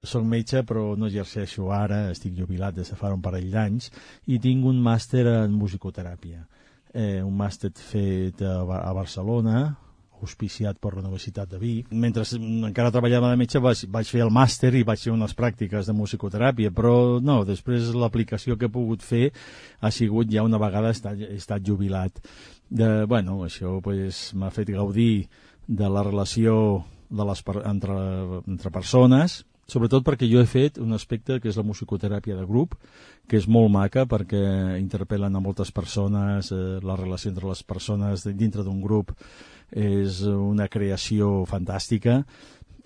soc metge, però no exerceixo ara, estic jubilat des de fa un parell d'anys, i tinc un màster en musicoteràpia. Un màster fet a Barcelona, auspiciat per la Universitat de Vic. Mentre encara treballava de metge vaig fer el màster i vaig fer unes pràctiques de musicoteràpia, però no, després l'aplicació que he pogut fer ha sigut ja una vegada he estat jubilat. Això m'ha fet gaudir de la relació entre persones, sobretot perquè jo he fet un aspecte que és la musicoteràpia de grup, que és molt maca perquè interpel·len a moltes persones, la relació entre les persones dintre d'un grup és una creació fantàstica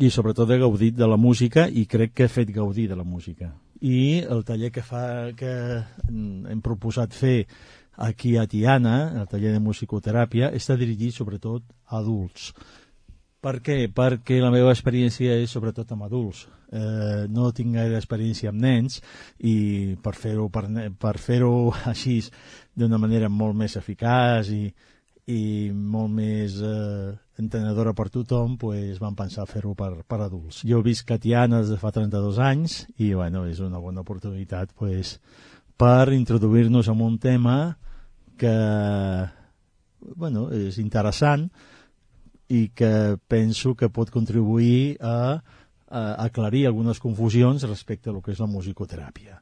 i sobretot he gaudit de la música i crec que he fet gaudir de la música. I el taller que hem proposat fer aquí a Tiana, el taller de musicoteràpia, està dirigit sobretot a adults. Per què? Perquè la meva experiència és sobretot amb adults. No tinc gaire experiència amb nens i per fer-ho així d'una manera molt més eficaç i molt més entenedora per tothom, vam pensar fer-ho per adults. Jo visc a Tiana des de fa 32 anys i és una bona oportunitat per introduir-nos en un tema que és interessant i que penso que pot contribuir a aclarir algunes confusions respecte a lo que és la musicoteràpia.